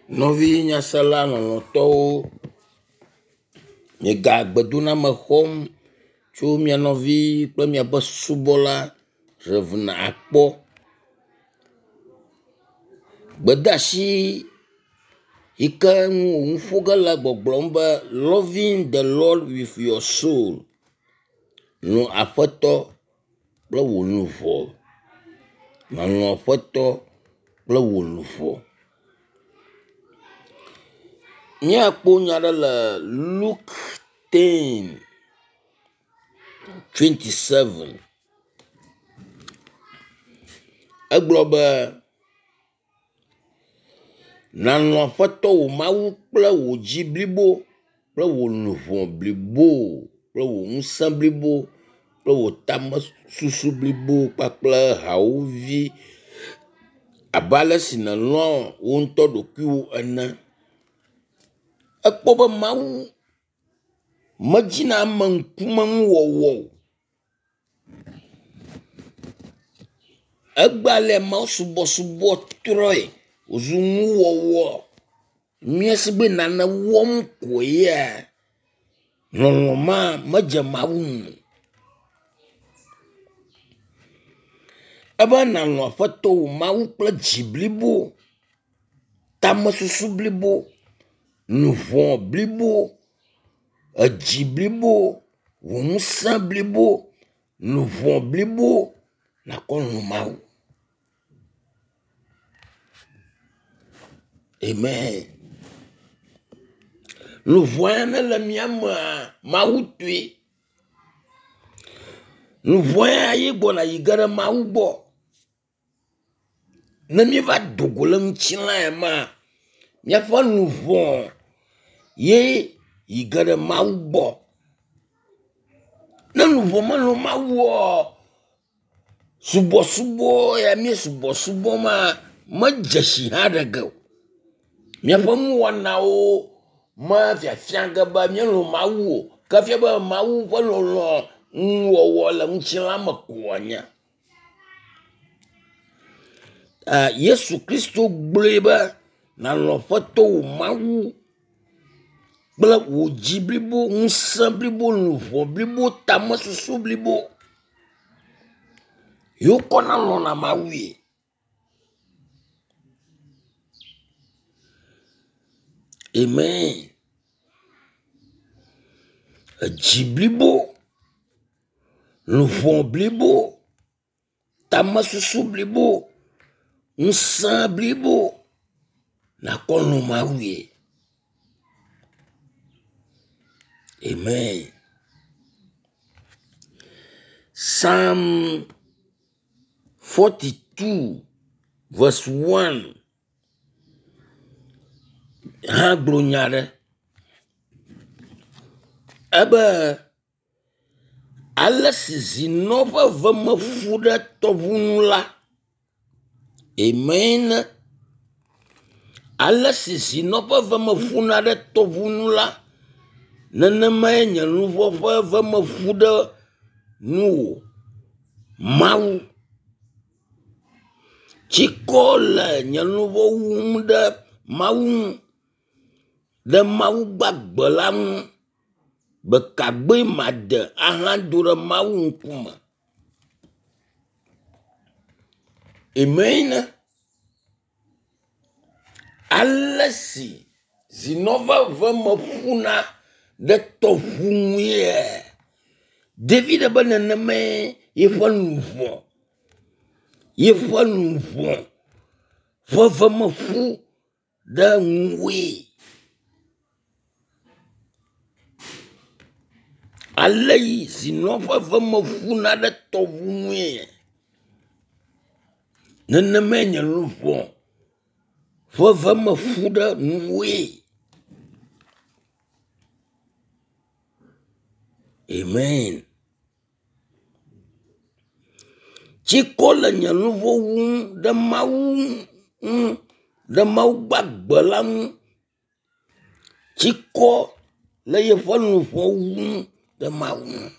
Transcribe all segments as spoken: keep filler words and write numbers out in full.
Nɔvi nyasela lɔlɔ̃tɔwo, miega gbedoname xɔm tso mia nɔvi kple miaƒe subɔla Rev. Akpɔ. Gbedeasi yi ke ŋu wo nu ƒo ge le gbɔgblɔm be loving the Lord with your soul. Lɔ̃ Aƒetɔ kple wò luʋɔ. Lɔ̃ Aƒetɔ kple wò luʋɔ. Míakpɔ nya ɖe le Luke ten twenty seven. Egblɔ be nàlɔ̃ Aƒetɔ wò Mawu kple wò dzi blibo kple wò luʋɔ blibo kple wò ŋusẽ blibo kple wò tamesusu blibo kpakple hawòvi abe ale si nèlɔ̃ wò ŋutɔ ɖokuiwò ene. Ekpɔ be Mawu medina ameŋkumenuwɔwɔ o. Egbea ale mawusubɔsubɔ trɔe wòzu nuwɔwɔ. Míesi be nane wɔm ko yea, lɔlɔ̃ ma medze Mawu ŋu o. Ebe nàlɔ̃ Aƒetɔ wò Mawu kple dzi blibo, tamesusu blibo, luʋɔ blibo, edzi blibo, wò ŋusẽ blibo, luʋɔ blibo nàkɔ lɔ̃ Mawu. Amen. Luʋɔ ya nele mía mea, Mawu tɔe. Luʋɔ ya ye gbɔna yi ge ɖe Mawu gbɔ. Ne míeva do go le ŋutilã ya mea, míaƒe luʋɔ ye yi ge ɖe Mawu gbɔ. Ne luʋɔ melɔ̃ Mawu oa, subɔsubɔ ya mí subɔsubɔ ma medze si hã ɖe ge o. Míaƒe nuwɔnawo mefiafia ge be míelɔ̃ Mawu o. Ke efia be Mawu ƒe lɔlɔ̃ nuwɔwɔ le ŋutilã me ko wòanye. Yesu Kristo gblɔe be nàlɔ̃ Aƒetɔ wò Mawu kple wò dzi blibo, ŋusẽ blibo, luʋɔ blibo, tamesusu blibo. Ye wokɔna lɔ̃na Mawue. Amen. Edzi blibo, luʋɔ blibo, tamesusu blibo, ŋusẽ blibo nàkɔ lɔ̃ Mawue. Amen. Psalm forty-two verse one hã gblɔ nya aɖe. Ebe ale si zinɔ ƒe veme ƒu ɖe tɔʋu nu la. Amen. Ale si zinɔ ƒe veme ƒuna ɖe tɔʋu nu la, nenemae nye luʋɔ ƒe veme ƒu ɖe nuwò, Mawu. Tsikɔ le nye luʋɔ wum ɖe Mawu ŋu, ɖe Mawu gbagbe la ŋu. Gbe ka made ahado ɖe Mawu ŋkume? Amen. Ale si zinɔ ƒe veme ƒuna ɖe tɔʋu ŋue. David be nenemae yeƒe luʋɔ, yeƒe luʋɔ ƒe veme ƒu ɖe ŋuwòe. Ale yi zinɔ ƒe veme ƒuna ɖe tɔʋu ŋue. Nenemae nye luʋɔ ƒe veme ƒu ɖe ŋuwòe. Amen. Tsikɔ le nye luʋɔ wum ɖe Mawu ŋu, ɖe Mawu gbagbe la ŋu. Tsikɔ le yeƒe luʋɔ wum ɖe Mawu ŋu.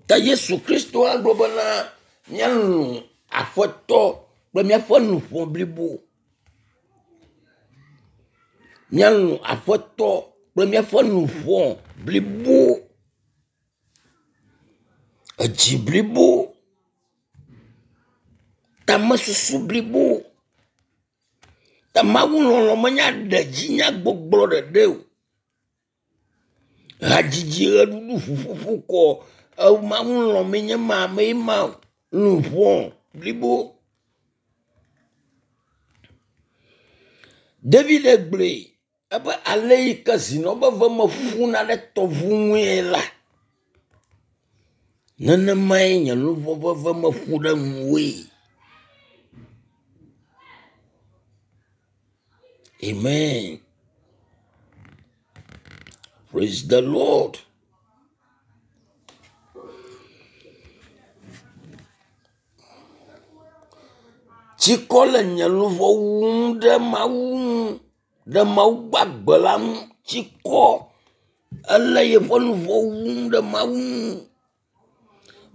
Ta Yesu Kristo agblɔ bena míalɔ̃ Aƒetɔ kple kple míaƒe luʋɔ blibo. Míalɔ̃ Aƒetɔ kple míaƒe luʋɔ blibo, edzi blibo, tamesusu blibo. Ta Mawu lɔlɔ̃ menye aɖedzinyagbɔgblɔ ɖeɖe o. Hadzidzi, ʋeɖuɖu, ŋuƒoƒo kɔ Mawu lɔ̃mee nye ma ame ma o. Luʋɔ blibo. David gblɔe ebe ale yi ke zinɔ be veme ƒuna ɖe tɔʋu ŋue la, nenemae nye luʋɔ ƒe veme ƒu ɖe ŋuwòe. Amen. Praise the Lord. Tsikɔ le nye luʋɔ wum ɖe Mawu ŋu, ɖe Mawu gbagbe la ŋu. Tsikɔ ele yeƒe luʋɔ wum ɖe Mawu ŋu.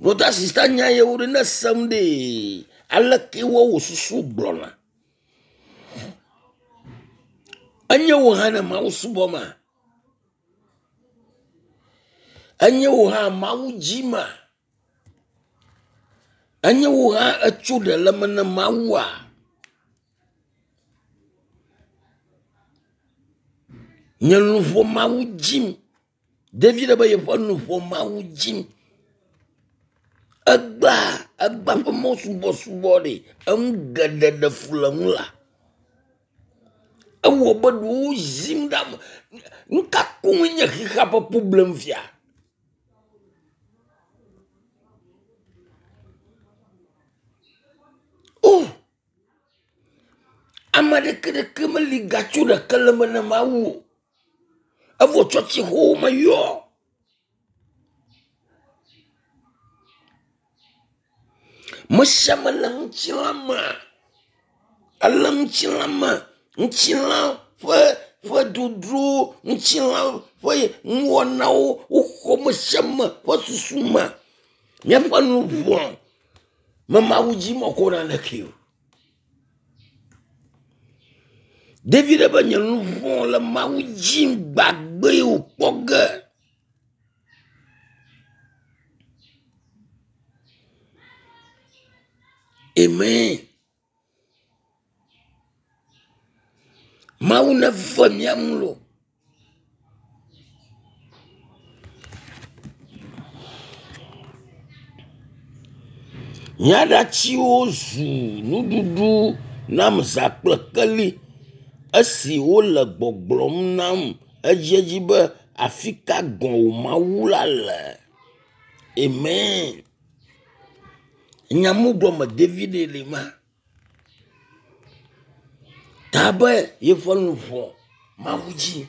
Brɔda sista nya yewo ɖe ne esem ɖee, aleke wɔ wò susu gblɔna? Enye wò hã ne Mawu subɔma? Enye wò hã Mawu dzima? Enye wò hã etso ɖe le eme ne Mawua? Nye luʋɔ Mawu dzim. David be yeƒe luʋɔ Mawu dzim. Egbea egbea ƒe mɔsubɔsubɔ ɖe enu geɖe ɖe fu le ŋu la. Ewɔ be ɖewo zim ɖe ame. Nu ka koŋue nye xexea ƒe problem fia? O! Ame aɖeke ɖeke meli gatso ɖeke le eme ne Mawu o. Evɔ tsɔtsixɔwo me yɔ. Me sia ame le ŋutilã me. Ele ŋutilã me. Ŋutilã ƒe ƒe dodro, ŋutilã ƒe nuwɔnawo woxɔ me sia ame ƒe susu me. Míaƒe luʋɔ me Mawu dzi mekɔ naneke o. David be nye luʋɔ le Mawu dzim gbagbe wòkpɔ ge. Amen. Mawu neve mía ŋu loo. Nye aɖatsiwo zu nuɖuɖu nam zã kple keli esi wole gbɔgblɔm nam edziedzi be afi ka gɔ̃ wò Mawu la le? Amen. Nya mu gɔme David le ma. Ta be yeƒe luʋɔ Mawu dzi.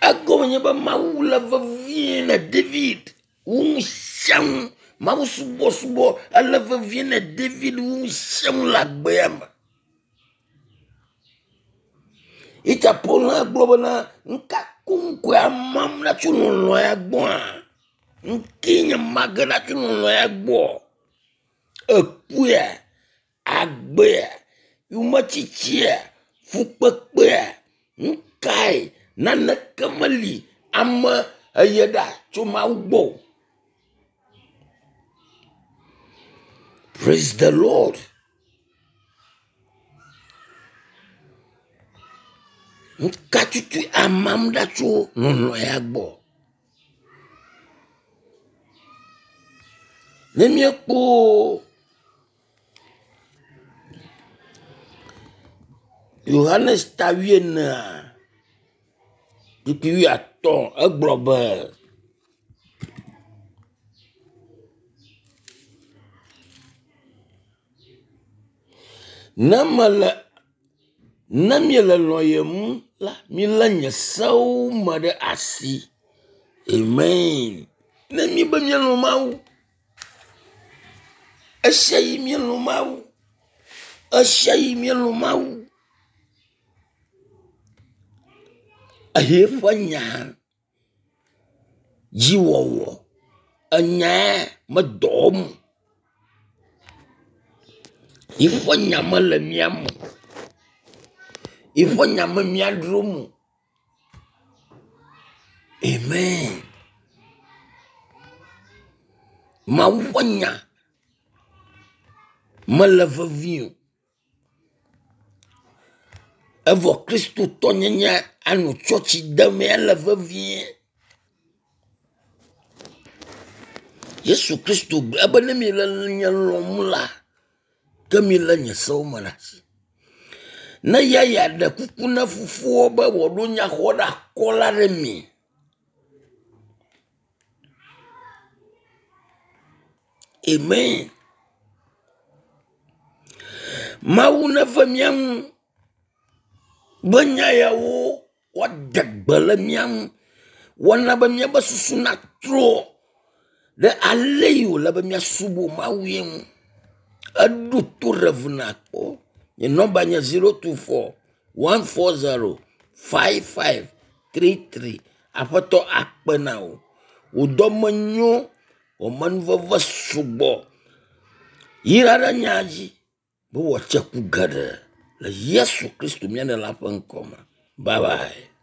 Egɔme nye be Mawu le vevie ne David wu nu sia nu. Mawu subɔsubɔ ele vevie ne David wu nu sia nu le agbea me. Ita Paul hã gblɔ bena nu ka koŋ koe amam ɖa tso lɔlɔ̃ ya gbɔa? Nu kee nye mage ɖa tso lɔlɔ̃ ya gbɔ? Ekuea, agbea, yometsitsia, fukpekpea, nu kae? Naneke meli ame eye ɖa tso Mawu gbɔ o. Praise the Lord. Nu ka tutu amam ɖa tso lɔlɔ̃ ya gbɔ? Ne míekpɔ Yohanes ta wuienea, kpukpui wuiatɔ̃ egblɔ be, ne mele ne miele lɔ̃yem la, milé nye sewo me ɖe asi. Amen. Ne míebe míelɔ̃ Mawu, esia yi míelɔ̃ Mawu, esia yi míelɔ̃ Mawu. Ehe eƒe nya dziwɔwɔ, enyae medɔ wɔm o. Yiƒe nya mele mía me o. Yiƒe nya me míadrom o. Amen. Mawu ƒe nya mele vevie o. Evɔ kristotɔnyenye anɔ tsɔtsi dem ya le vevie. Yesu Kristo gblɔ ebe ne mi le nye lɔ̃m la, ke mi lé nye sewo me ɖe asi. Ne ya yeaɖe kuku na fofoa be wòaɖo nyaxɔɖeakɔla ɖe mi. Amen. Mawu neve mía ŋu be nya yawo woade gbe le mía ŋu. Woana be míaƒe susu natrɔ ɖe ale yi wòle be míasubɔ Mawu ye ŋu. Eɖo to ɖe ʋu nakpɔ. Nye nɔmba nye zero two four one four zero five five three three. Aƒetɔ akpe na wò. Wò dɔme nyo, wò amenuveve sugbɔ. Yra ɖe nya dzi be wòatse ku geɖe le Yesu Kristo mía Ɖela ƒe ŋkɔ me. Bye bye.